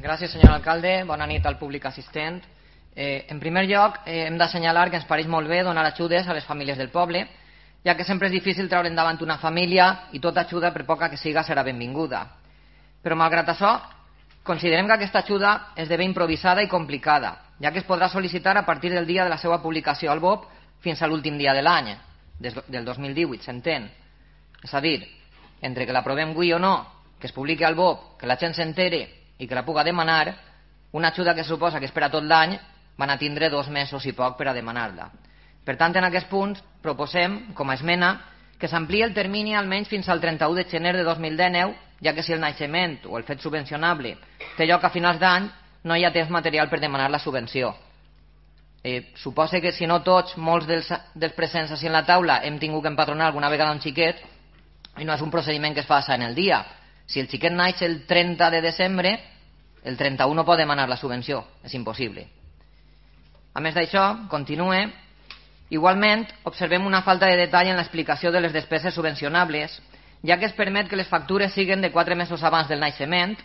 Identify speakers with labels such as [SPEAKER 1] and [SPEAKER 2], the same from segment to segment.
[SPEAKER 1] Gràcies, senyor alcalde. Bona nit al públic assistent. En primer lloc, hem d'assenyalar que ens pareix molt bé donar ajudes a les famílies del poble, ja que sempre és difícil treure endavant una família i tota ajuda, per poca que siga, serà benvinguda. Però, malgrat això, considerem que aquesta ajuda esdevé improvisada i complicada, ja que es podrà sol·licitar a partir del dia de la seva publicació al BOP fins a l'últim dia de l'any, del 2018, s'entén. És a dir, entre que l'aprovem avui o no, que es publiqui al BOP, que la gent s'entere i que la puga demanar, una ajuda que suposa que espera tot l'any van a tindre 2 mesos i poc per a demanar-la. Per tant, en aquest punt proposem, com a esmena, que s'ampliï el termini almenys fins al 31 de gener de 2019, ja que si el naixement o el fet subvencionable té lloc a finals d'any, no hi ha temps material per demanar la subvenció. Suposa que si no tots, molts dels presents així en la taula hem tingut que empadronar alguna vegada un xiquet i no és un procediment que es fa en el dia. Si el xiquet naix el 30 de desembre, el 31 no pot demanar la subvenció, és impossible. A més d'això, continue, igualment observem una falta de detall en l'explicació de les despeses subvencionables, ja que es permet que les factures siguin de 4 mesos abans del naixement,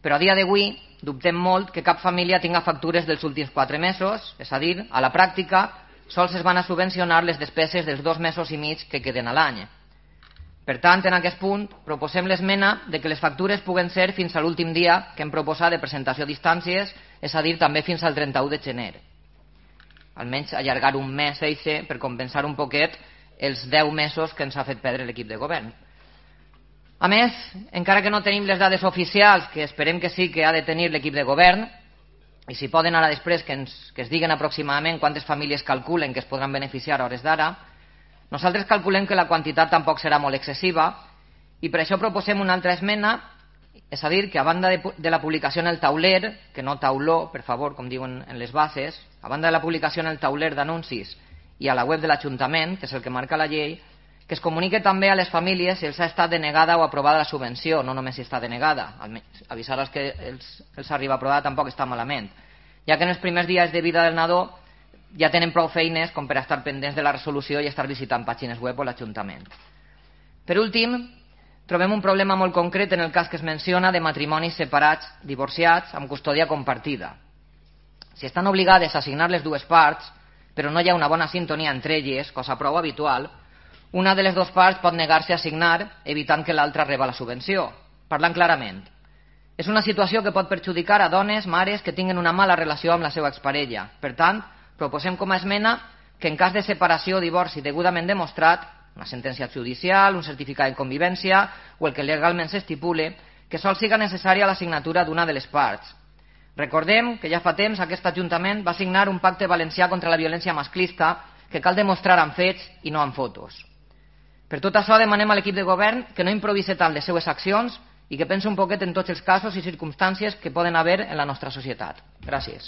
[SPEAKER 1] però a dia d'avui dubtem molt que cap família tinga factures dels últims 4 mesos, és a dir, a la pràctica, sols es van a subvencionar les despeses dels 2 mesos i mig que queden a l'any. Per tant, en aquest punt, proposem l'esmena de que les factures puguen ser fins a l'últim dia que hem proposat de presentació a distàncies, és a dir, també fins al 31 de gener. Almenys allargar un mes per compensar un poquet els 10 mesos que ens ha fet perdre l'equip de govern. A més, encara que no tenim les dades oficials, que esperem que sí que ha de tenir l'equip de govern, i si poden ara després que es diguen aproximadament quantes famílies calculen que es podran beneficiar a hores d'ara, nosaltres calculem que la quantitat tampoc serà molt excessiva i per això proposem una altra esmena, és a dir, que a banda de la publicació en el tauler, que no tauló, per favor, com diuen en les bases, a banda de la publicació en el tauler d'anuncis i a la web de l'Ajuntament, que és el que marca la llei, que es comunique també a les famílies si els ha estat denegada o aprovada la subvenció, no només si està denegada. Avisar als que els arriba aprovada tampoc està malament, ja que en els primers dies de vida del nadó ja tenen prou feines com per estar pendents de la resolució i estar visitant pàgines web o l'Ajuntament. Per últim, trobem un problema molt concret en el cas que es menciona de matrimonis separats, divorciats, amb custòdia compartida. Si estan obligades a assignar les dues parts, però no hi ha una bona sintonia entre elles, cosa prou habitual, una de les dues parts pot negar-se a assignar, evitant que l'altra reba la subvenció. Parlant clarament, és una situació que pot perjudicar a dones, mares, que tinguen una mala relació amb la seva exparella. Per tant, proposem com a esmena que en cas de separació o divorci degudament demostrat, una sentència judicial, un certificat de convivència o el que legalment s'estipule, que sols siga necessària la signatura d'una de les parts. Recordem que ja fa temps aquest Ajuntament va signar un pacte valencià contra la violència masclista que cal demostrar amb fets i no amb fotos. Per tot això demanem a l'equip de govern que no improvise tant les seues accions i que pensi un poquet en tots els casos i circumstàncies que poden haver en la nostra societat. Gràcies.